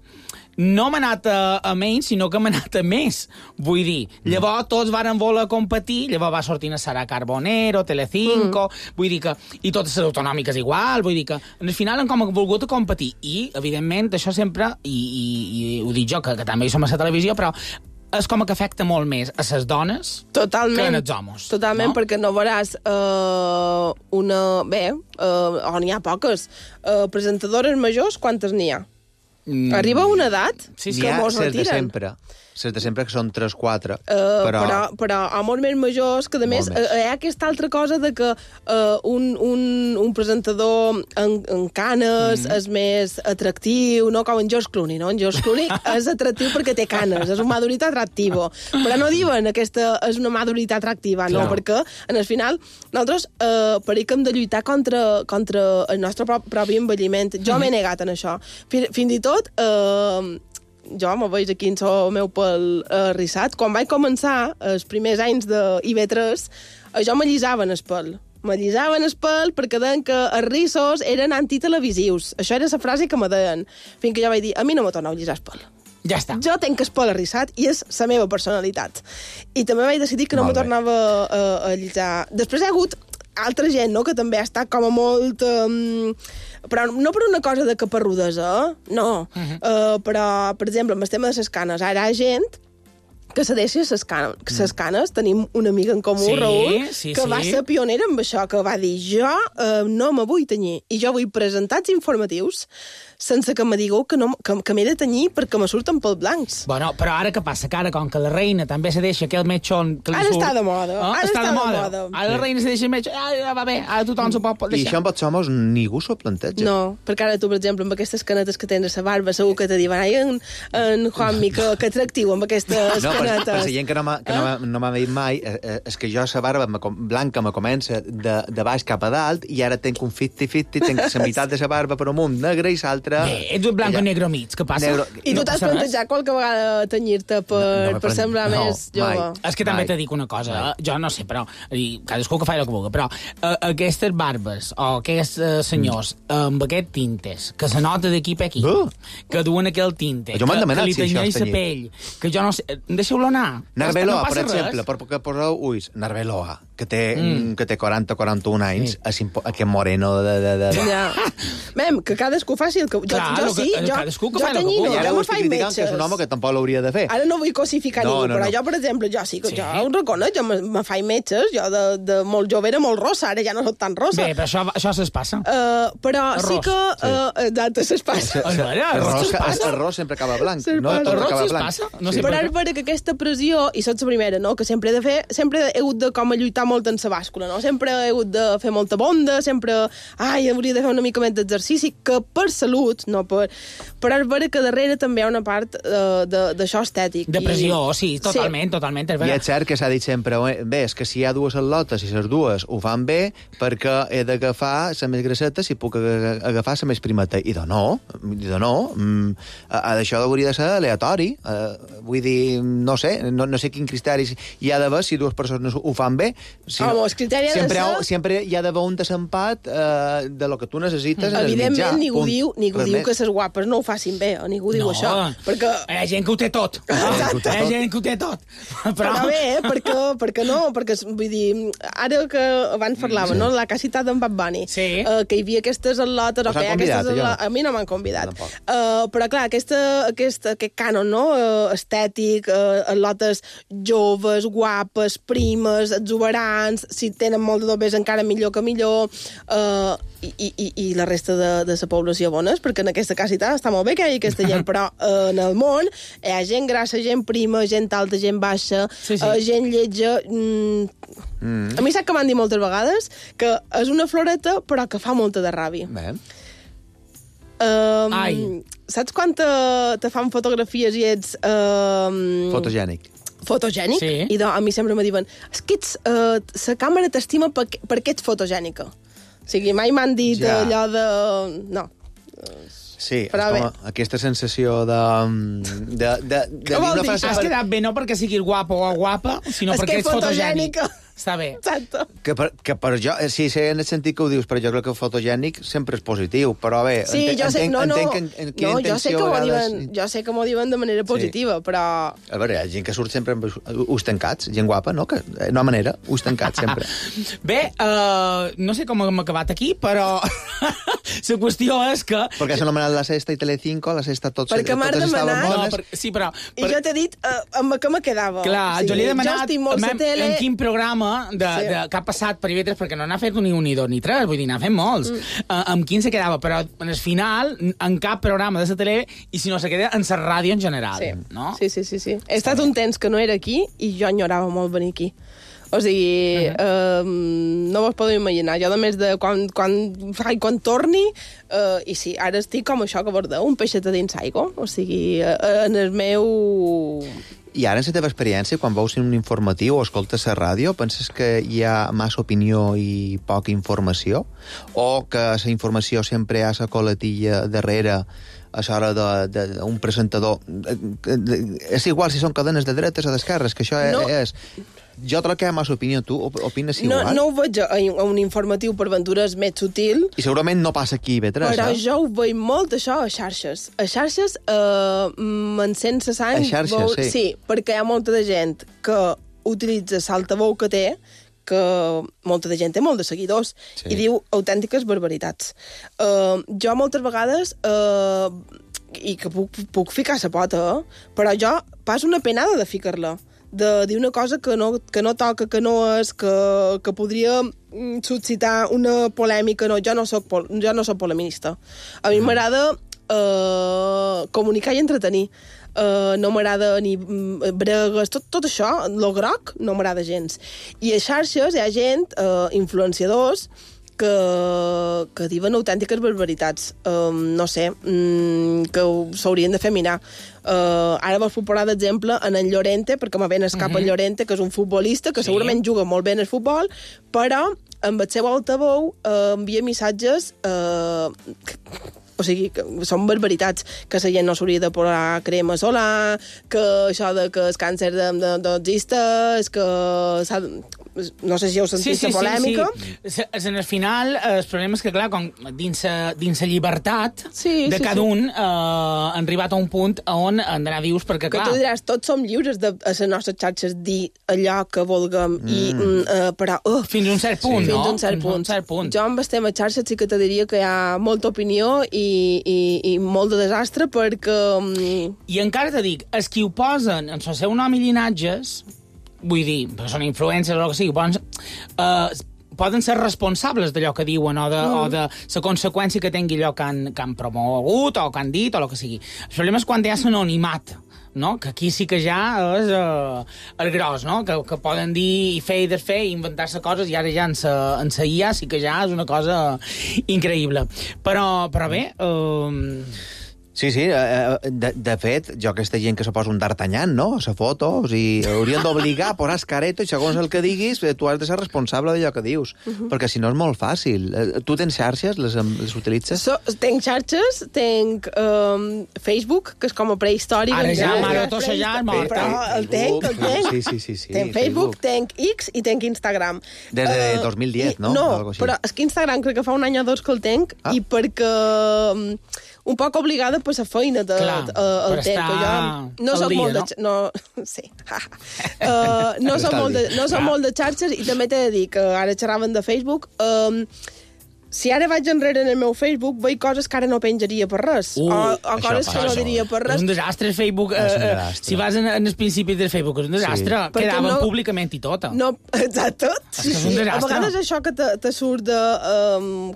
no m'ha anat a menys, sinó que m'ha anat a més. Vull dir, llavors tots varen voler competir, llavors va sortir Sara Carbonero, Telecinco, vull dir que... I totes les autonòmiques igual, vull dir que al final han com volgut competir. I, evidentment, això sempre, i ho dic jo, que també hi som a la televisió, però és com que afecta molt més a les dones que als homes. Totalment, no? Perquè no veuràs n'hi ha poques. Presentadores majors, quantes n'hi ha? Arriba una edat que mos retiren. Les de sempre, que són 3-4, però homes més majors, que a més hi ha aquesta altra cosa de que un presentador en canes és més atractiu, no com en George Clooney, no? En George Clooney és atractiu perquè té canes, és un madurita atractivo, però no diuen aquesta és una madurita atractiva, no? Perquè, en el final, nosaltres per que hem de lluitar contra el nostre propi envelliment. Jo m'he negat en això. Fins i tot... jo me veig aquí en el meu pèl rissat. Quan vaig començar, els primers anys de IB3, jo m'allisaven el pèl. M'allisaven el pèl perquè deien que els rissos eren antitelevisius. Això era la frase que me deien. Fins que jo vaig dir, a mi no me torneu a allisar el pèl. Ja està. Jo tenc el pèl arrissat i és la meva personalitat. I també vaig decidir que no me tornava a allisar. Després hi ha hagut altra gent, no?, que també ha estat com a molt... però no per una cosa de caparrudesa, no. Però, per exemple, amb el tema de les canes, ara hi ha gent que se deixa les canes. Tenim una amiga en comú, Raül, que va ser pionera amb això, que va dir, jo no me vull tenyir, i jo vull presentats informatius sense que me digueu que m'he de tenyir perquè me surten pels blancs. Bueno, però ara què passa? Que ara, com que la reina també se deixa aquell metxon... Ara està de moda. Està de moda. Ara la reina se deixa el metxon... Va bé, ara tothom s'ho pot deixar. I això amb els homes ningú s'ho planteja. No, perquè ara tu, per exemple, amb aquestes canetes que tens a la barba, segur que te diuen, ai, en Juanmi, que atractiu amb aquestes canetes. Per la gent que no m'ha dit mai, és que jo la barba blanca me comença de baix cap a dalt i ara tenc un 50-50, tenc la meitat de la barba per amunt negra i l'altra... Ets un blanc o negre mig, què passa? I tu t'has plantejat qualque vegada tenyir-te per semblar més jove? És que també te dic una cosa, jo no sé, però cadascú que faci el que vulgui, però aquestes barbes o aquests senyors amb aquest tintes, que se nota d'aquí per aquí, que duen aquell tinte, que li tenyeix la pell, que jo no sé... xiulonar. Narveloa, per exemple, perquè poseu ulls, Narveloa, que té 40-41 anys, aquest moreno de... Ja. Mem, que cadascú faci el que... cadascú que fa el que jo me faig metges. Que és un home que tampoc l'hauria de fer. Ara no vull cosificar ningú, però jo, per exemple, jo ho reconec, jo me faig metges, jo de molt jove era molt rossa, ara ja no soc tan rossa. Bé, però això se'ls passa. Però sí que... Exacte, se'ls passa. El ros sempre acaba blanc. El ros se'ls passa. Però ara veure que aquesta pressió, i sots la primera, no?, que sempre he de fer, sempre he hagut de com a lluitar molt en la bàscula, no? Sempre he hagut de fer molta bonda, sempre... hauria de fer una mica més d'exercici, que per salut, no per... Però ara veure que darrere també hi ha una part d'això estètic. De pressió, sí, totalment. I és cert que s'ha dit sempre, bé, és que si hi ha dues atletes i les dues ho fan bé, perquè he d'agafar la més grasseta si puc agafar la més primeta. I de no. Això hauria de ser aleatori. Vull dir, no sé quin criteri hi ha d'haver si dues persones ho fan bé. El criteri ha de ser... Sempre hi ha d'haver un desempat de lo que tu necessites en el mitjà. Evidentment, ningú diu que les guapes no ho facin bé, o ningú diu això. Perquè... Hi ha gent que ho té tot. Hi ha gent que ho té tot. Però bé, perquè no, perquè, vull dir, ara que abans parlava, no?, la que ha citat en Bad Bunny, que hi havia aquestes atletes, a mi no m'han convidat. Però clar, aquest cànon, no?, estètic, atletes joves, guapes, primes, exuberants, si tenen molt de dobbers encara millor que millor, i la resta de la població bones, perquè en aquesta casita està molt bé que hi hagi aquesta gent, però en el món hi ha gent grassa, gent prima, gent alta, gent baixa, gent lletja... A mi sap que m'han dit moltes vegades que és una floreta però que fa molta de ràbia. Saps quan te fan fotografies i ets... Fotogènic. Sí. I a mi sempre me diuen la càmera t'estima perquè ets fotogènica. O sigui, mai m'han dit allò de... No. Sí, és com aquesta sensació de dir una frase... Has quedat bé no perquè siguis guapo o guapa, sinó perquè ets fotogènic. Està bé. Exacte. Que per jo, sí, sé en el sentit que ho dius, però jo crec que fotogènic sempre és positiu, però bé, entenc en quina intenció... Jo sé que m'ho diuen de manera positiva, però... A veure, hi ha gent que surt sempre amb ulls tancats, gent guapa, no? No manera, ulls tancats sempre. Bé, no sé com hem acabat aquí, però la qüestió és que... Perquè s'ha anomenat La Sexta i Telecinco, La Sexta totes estaven bones. Sí, però... I jo t'he dit amb què me quedava. Clar, jo li he demanat en quin programa que ha passat per IB3, perquè no n'ha fet ni un, ni dos, ni tres, vull dir, n'ha fet molts. Amb quin se quedava, però en el final, en cap programa de la tele, i si no se queda en la ràdio en general. No? Sí. He estat un temps que no era aquí i jo enyorava molt venir aquí. O sigui, no vos podeu imaginar. Jo, a més de quan torni, i sí, ara estic com això que vos deu, un peixet a dins aigua. O sigui, en el meu... I ara, en la teva experiència, quan veus un informatiu o escoltes la ràdio, penses que hi ha massa opinió i poca informació? O que la informació sempre hi ha la coletilla darrere a l'hora d'un presentador? És igual si són cadenes de dretes o d'esquerres, que això és... Jo crec que hi ha massa opinió. Tu opines igual? No ho veig a un informatiu per aventures més sutil. I segurament no passa aquí a IB3, però jo ho veig molt, això, a xarxes. A xarxes, m'encén la sang... A xarxes, sí. Sí, perquè hi ha molta de gent que utilitza l'altaveu que té, que molta de gent té molt de seguidors, i diu autèntiques barbaritats. Jo moltes vegades... i que puc ficar la pota, però jo pas una penada de ficar-la, de dir una cosa que no toca, que no és, que podria suscitar una polèmica. No, jo no soc polemista. A mi m'agrada comunicar i entretenir. No m'agrada ni bregues, tot això, lo groc, no m'agrada gens. I a xarxes hi ha gent, influenciadors, que diuen autèntiques barbaritats. No sé, que s'haurien de fer mirar. Ara vos puc posar d'exemple en Llorente, perquè me ven escapa en Llorente, que és un futbolista que segurament juga molt bé en el futbol, però amb el seu altaveu envia missatges o sigui, que són barbaritats, que la gent no s'hauria de posar crema solar, que això de que el càncer no existeix, que no sé si heu sentit la polèmica. Sí. En el final, el problema és que, clar, com dins la llibertat de cada un, han arribat a un punt on han d'anar vius, perquè, clar... Que tu diràs, tots som lliures a les nostres xarxes dir allò que vulguem, però... Fins a un cert punt, no? Fins a un cert punt. Jo amb el tema xarxes sí que te diria que hi ha molta opinió i molt de desastre, perquè... I encara te dic, els qui ho posen en el seu nom i llinatges, vull dir, són influencers o el que sigui, poden ser responsables d'allò que diuen o de la conseqüència que tingui allò que han promogut o que han dit o el que sigui. El problema és quan hi ha l'anonimat, no? Que aquí sí que ja és el gros, no? Que poden dir i fer i desfer i inventar-se coses i ara ja en sa IA sí que ja és una cosa increïble. Però bé... Sí, de fet, jo aquesta gent que se posa un d'Artagnan, no?, a la foto, o sigui, haurien d'obligar a posar escareto i segons el que diguis, tu has de ser responsable d'allò que dius, perquè si no és molt fàcil. Tu tens xarxes? Les utilitzes? Tenc xarxes, tenc Facebook, que és com a prehistòric. Ara ja, mare, tot ja és mort. Però el tenc. Sí. Tenc Facebook, tenc X i tenc Instagram. Des de 2010, no? No, però és que Instagram crec que fa un any o dos que el tenc, i perquè... un poc obligada per la feina del tenc. No soc molt de... No, sí. No soc molt de xarxes i també t'he de dir que ara xerraven de Facebook. Si ara vaig enrere en el meu Facebook, veig coses que ara no penjaria per res. O coses que no diria per res. És un desastre, Facebook. Si vas en els principis del Facebook, és un desastre. Quedaven públicament i tot. No, exacte. És un desastre. A vegades això que te surt de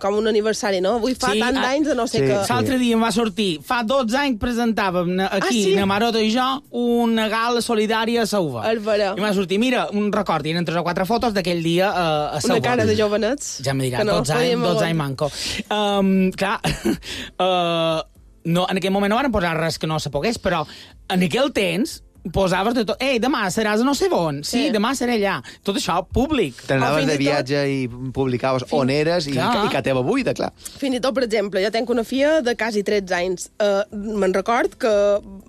com un aniversari, no? Avui fa tant d'anys de no sé què. L'altre dia em va sortir, fa 12 anys presentàvem aquí, na Maroto i jo, una gala solidària a Sauva. I m'ha sortit, mira, un record, hi eren 3 o 4 fotos d'aquell dia a Sauva. Una cara de jovenets. Ja me dirà, 12 anys manco. Clar, en aquell moment no van posar res que no se pogués, però en aquell temps posaves de tot. Ei, demà seràs a no sé on. Sí, demà seré allà. Tot això públic. T'anaves de viatge i publicaves on eres i que teva buida, clar. Fins i tot, per exemple, jo tenc una filla de quasi 13 anys. Me'n record que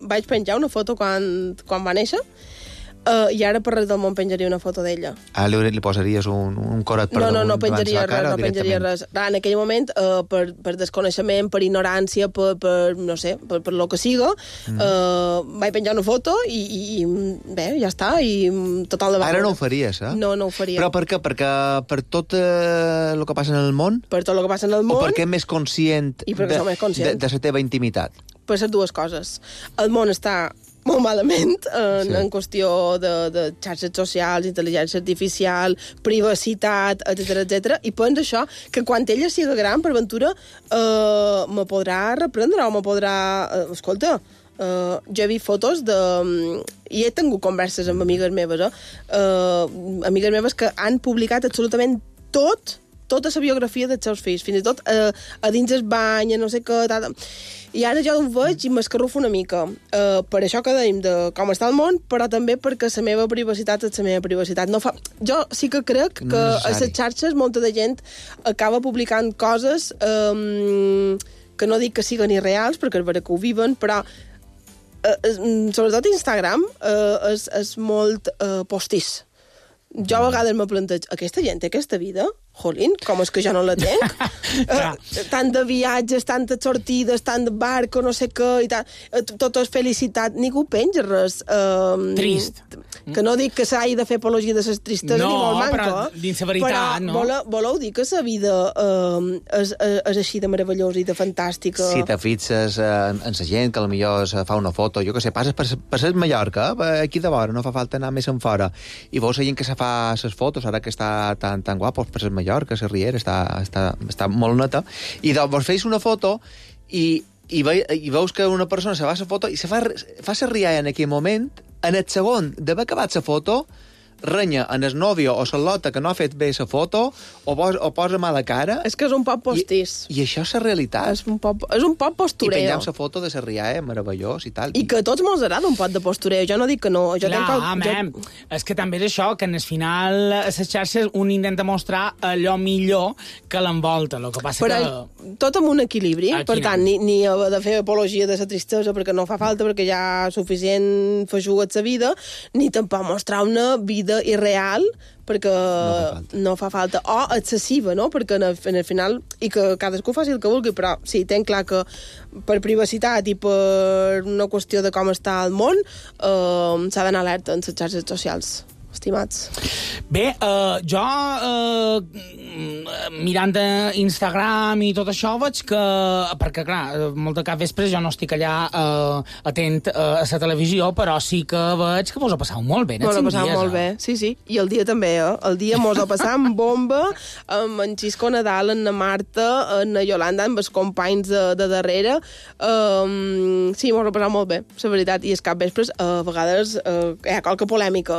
vaig penjar una foto quan va néixer, i ara per res del món penjaria una foto d'ella. Li posaries un coret per damunt? No penjaria res, no penjaria res. En aquell moment, per desconeixement, per ignorància, per no sé, per lo que siga, vaig penjar una foto i bé, ja està, i total de Ara no ho faries, eh? No ho faria. Però per què? Perquè per tot el que passa en el món? Per tot el que passa en el món. O perquè és més conscient de la teva intimitat? Per les dues coses. El món està molt malament en qüestió de xarxes socials, intel·ligència artificial, privacitat, etc. I penso això, que quan ella sigui gran, per ventura, me podrà reprendre o me podrà... Escolta, jo he vist fotos de... I he tingut converses amb amigues meves que han publicat absolutament tota la biografia dels seus fills, fins i tot a dins el bany, no sé què... I ara jo ho veig i m'escarrufo una mica. Per això que dèiem de com està el món, però també perquè la meva privacitat és la meva privacitat. Jo sí que crec que a les xarxes molta de gent acaba publicant coses que no dic que siguin irreals, perquè és vera que ho viven, però sobretot Instagram és molt postís. Jo a vegades me plantejo, aquesta gent té aquesta vida? Jolín, com és que jo no la tenc? Tant de viatges, tantes sortides, tant de barco, no sé què, i tant, tot és felicitat. Ningú penja res. Trist. Que no dic que s'hagi de fer apologia de les tristesa, ni molt manco. No, però dins la veritat, no? Però voleu dir que la vida és així de meravellosa i de fantàstica? Si te fixes en la gent que potser fa una foto, jo que sé, passes per ser Mallorca, aquí de vora, no fa falta anar més en fora, i veus la gent que se fa les fotos, ara que està tan guapos per ser Mallorca, la Riera, està molt neta, i vos feis una foto i veus que una persona se fa la foto i se fa la rialla en aquell moment, en el segon d'haver acabat la foto, renya en el nòvio o la lota que no ha fet bé la foto o posa mala cara. És que és un poc postís. I això és la realitat. És un poc postureo. I pengem la foto de la rialla, meravellós i tal. I que a tots mos agrada un poc de postureo. Jo no dic que no. És que també és això, que en el final a les xarxes un intenta mostrar allò millor que l'envolta. El que passa que... Tot amb un equilibri. Per tant, ni haver de fer apologia de la tristesa perquè no fa falta, perquè ja suficient feixuga la vida, ni tampoc mostrar una vida produïda i real, perquè no fa falta. O excessiva, no? Perquè en el final, i que cadascú faci el que vulgui, però sí, tenc clar que per privacitat i per una qüestió de com està el món, s'ha d'anar alerta en les xarxes socials. Estimats. Bé, jo, mirant Instagram i tot això, veig que... Perquè, clar, molt de cap vespre jo no estic allà atent a la televisió, però sí que veig que vos ho passau molt bé. Mos ho passau molt bé, sí. I el dia també, El dia mos ho passam bomba, amb en Xisco Nadal, en la Marta, en la Yolanda, amb els companys de darrere. Sí, mos ho passau molt bé, la veritat. I els cap vespres, a vegades, hi ha qualque polèmica,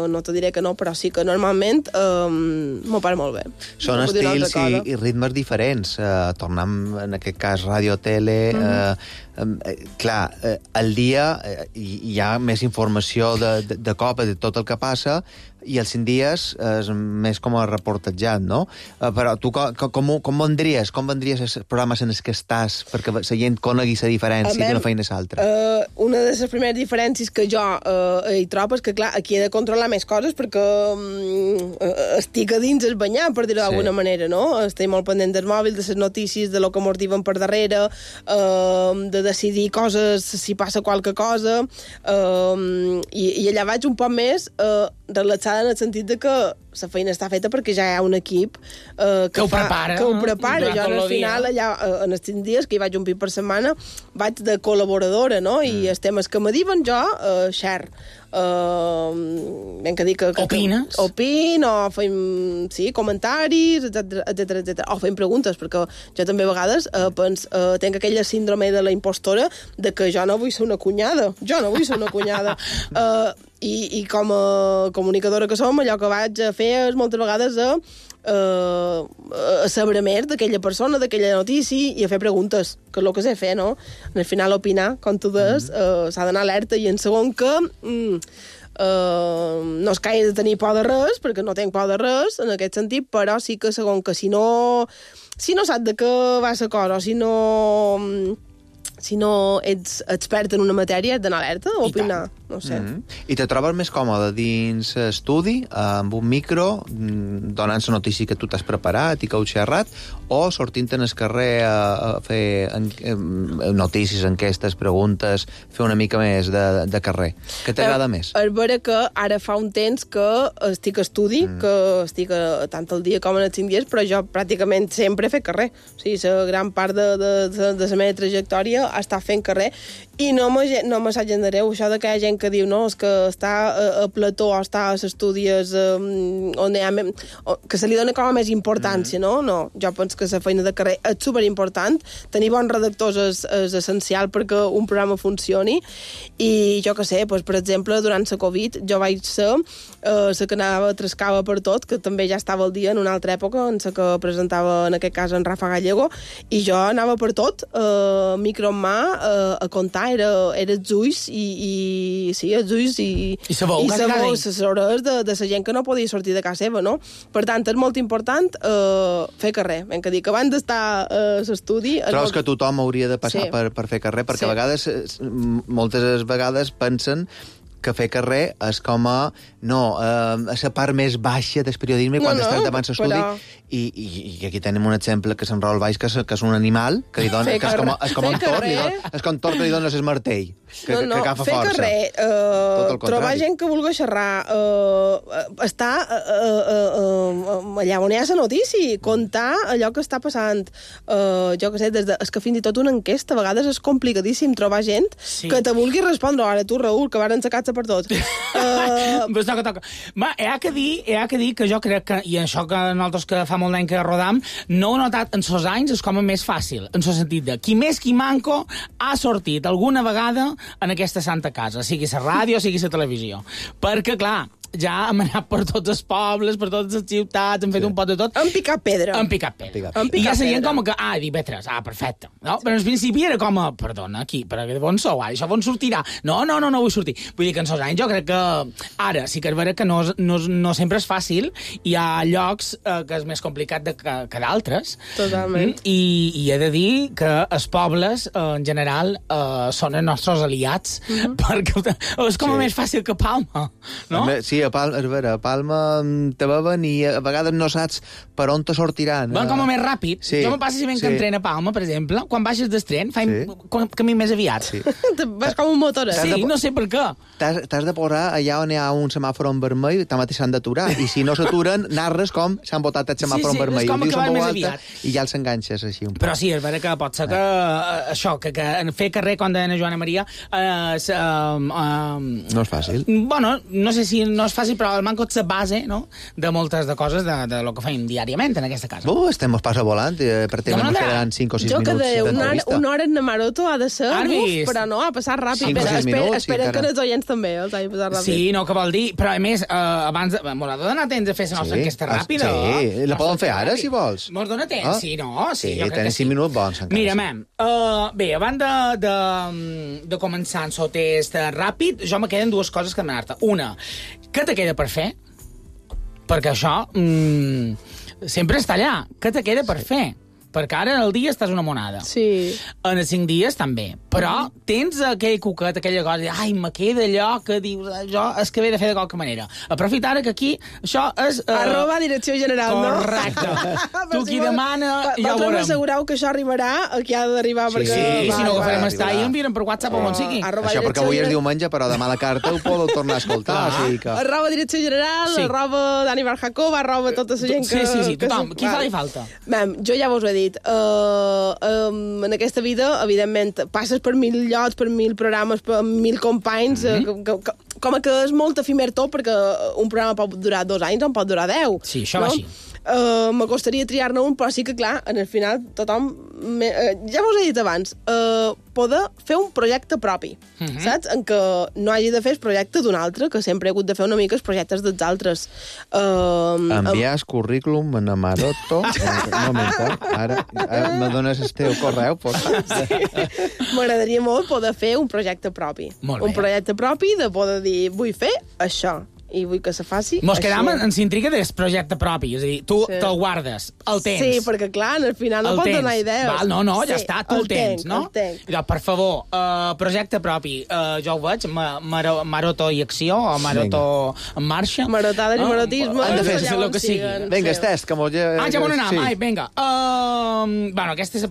no te diré que no, però sí que normalment m'ho passa molt bé. Són estils i ritmes diferents. Tornem, en aquest cas, ràdio, tele... clar, al dia hi ha més informació de cop de tot el que passa i els 5 dies és més com a reportatjat, no? Però tu com vendries els programes en els que estàs perquè la gent conegui la diferència d'una feina a l'altra? Una de les primeres diferències que jo hi trobo és que, clar, aquí he de controlar més coses perquè estic a dins el banyar, per dir-ho d'alguna manera, no? Estic molt pendent del mòbil, de les notícies, de lo que mos diuen per darrere, de decidir coses si passa qualque cosa, i allà vaig un poc més relaxada en el sentit de que la feina està feta perquè ja hi ha un equip que ho prepara. Jo, al final, allà, en els 5 dies, que hi vaig un pit per setmana, vaig de col·laboradora, no? I els temes que me diuen jo, share. Ben que dic que... Opines? Opino, o fem comentaris, etc. O fem preguntes, perquè jo també a vegades tenc aquella síndrome de la impostora de que jo no vull ser una cunyada. I com a comunicadora que som, allò que vaig a fer és moltes vegades a saber més d'aquella persona, d'aquella notícia, i a fer preguntes, que és el que sé fer, no? Al final, opinar, com tu des, s'ha d'anar alerta, i en segon que no es caigui de tenir por de res, perquè no tinc por de res, en aquest sentit, però sí que segon que si no saps de què va la cosa, o si no ets expert en una matèria, ets d'anar alerta, o opinar, no sé. I te trobes més còmode dins estudi, amb un micro, donant la notícia que tu t'has preparat i que heu xerrat, o sortint en el carrer a fer notícies, enquestes, preguntes, fer una mica més de carrer? Què t'agrada més? És vera que ara fa un temps que estic a estudi, que estic tant al dia com en els 5 dies, però jo pràcticament sempre he fet carrer. O sigui, la gran part de la meva trajectòria ha estat fent carrer, i no me s'agendareu això de que hi ha gent que diu no, és que està a plató o està a les estudis on hi ha que se li dona com a més importància, no? No, jo penso que la feina de carrer és superimportant. Tenir bons redactors és essencial perquè un programa funcioni, i jo que sé, per exemple, durant la Covid jo vaig ser la que anava trascava per tot, que també ja estava al dia en una altra època, en la que presentava en aquest cas en Rafa Gallego, i jo anava per tot, micro en mà, a contar, era els ulls i la veu, les hores de la gent que no podia sortir de casa seva, no? Per tant, és molt important fer carrer. Ben que dic, abans d'estar a l'estudi... Trobes que tothom hauria de passar per fer carrer? Perquè a vegades, moltes vegades pensen que fer carrer és com a la part més baixa del periodisme quan estàs davant l'estudi, i aquí tenim un exemple que se'n Raül Valls, que és un animal que li dona, que és com un tort, és com un tort que li dona el martell, que agafa força. Fer carrer, trobar gent que vulgui xerrar, estar allà on hi ha la notícia, contar allò que està passant, jo que sé, és que fins i tot una enquesta a vegades és complicadíssim trobar gent que te vulgui respondre. Ara tu, Raül, que varen sacar-se per tot. Pues toca. He de dir que jo crec que, i això que nosaltres que fa molt d'any que rodam, no ho he notat en sos anys, és com a més fàcil, en el sentit de qui més qui manco ha sortit alguna vegada en aquesta santa casa, sigui la ràdio, sigui la televisió. Perquè, clar, ja hem anat per tots els pobles, per totes les ciutats, hem fet un pot de tot. Hem picat pedra. I ja la gent com que, divendres, perfecte. No? Però al principi era com a, perdona, aquí, però on sou? Això on sortirà? No vull sortir. Vull dir que en sos anys jo crec que ara sí que és vera que no sempre és fàcil, hi ha llocs que és més complicat que d'altres. Totalment. I he de dir que els pobles, en general, són els nostres aliats, perquè és com a més fàcil que Palma, no? Sí, a Palma, és vera, a Palma te beuen i a vegades no saps per on te sortiran. Van com a més ràpid. Sí, Jo me passa si venc en tren a Palma, per exemple, quan baixes del tren, faig camí més aviat. Sí. Vas com un motor. Sí, no sé per què. T'has de posar allà on hi ha un semàfor en vermell, també s'han d'aturar. I si no s'aturen, narres com s'han botat el semàfor en vermell. és com Ho dius acabar en veu més alta aviat. I ja els enganxes així un poc. Però sí, és vera que pot ser que això, que en fer carrer, com deia Joana Maria, No és fàcil. bueno, no sé si no és fàcil, però el manco és la base, no?, de moltes de coses de lo que fem diàriament en aquesta casa. Estem mos passa volant, pràcticament ens quedaran 5 o 6 Jo que minuts de d'entrevista. una hora en Maroto ha de ser, però no, ha passat ràpid. 5 o 6 minuts, Esperen encara. que els oients també els hagi passat ràpid. Sí, no, que vol dir... Però, a més, abans... M'haurà de donar temps de fer la nostra enquesta ràpida. Sí, la podem fer ara, si vols. Mos dona temps, sí, no? Sí, jo crec tenen que 5 minuts bons, encara. Mira, mem, bé, abans de començar el seu test ràpid, jo me queden dues coses que demanar-te. Una, què te queda per fer? Perquè això sempre està allà. Què te queda per fer? Perquè ara en el dia estàs una monada. Sí. En els 5 dies també. Però tens aquell cuquet, aquella cosa, ai, me queda allò que dius, jo és que he de fer de qualque manera. Aprofita ara que aquí això és... @ direcció general, correcte. no? Tu qui demana, ja ho Vosaltres veurem. m'assegureu que això arribarà el que ha d'arribar, Sí, perquè... Sí, si no agafarem va, i enviarem per WhatsApp o on sigui. @ Això perquè avui és diumenge, però demà la carta ho podeu tornar a escoltar. O sigui que... @ direcció general, Sí. @ Dani Barjacob, @ tota la gent que... Sí, que tothom. Qui fa li falta? Mem, jo ja vos ho he dit. En aquesta vida, evidentment, passes per 1000 llocs, per 1000 programes, per 1000 companys, com que és molt efímer tot, perquè un programa pot durar 2 anys o en pot durar 10. Sí, això va així. M'acostaria triar-ne un, però sí que, clar, en el final tothom... ja vos he dit abans, poder fer un projecte propi, saps? En què no hagi de fer el projecte d'un altre, que sempre he hagut de fer una mica els projectes dels altres. Enviar currículum a Maroto. Un moment, ara me dones el teu correu, por favor. M'agradaria molt poder fer un projecte propi. Molt bé. Un projecte propi de poder dir, vull fer això, i vull que se faci Mos així. quedam en l'intriga del projecte propi, és a dir, tu Sí. te'l guardes, el tens. Sí, perquè, clar, al final no el pots tens. donar idees. Val, no, ja Sí, està, tu el tens, no? El tenc. I doncs, per favor, projecte propi, jo ho veig, Maroto i acció, o Maroto en marxa. Marotades i marotisme. Han de fer ja el on que sigui. siguen. Vinga, Sí. Estès, que m'ho... Ja m'ho anem, Sí. ai, vinga. Bueno, aquesta és la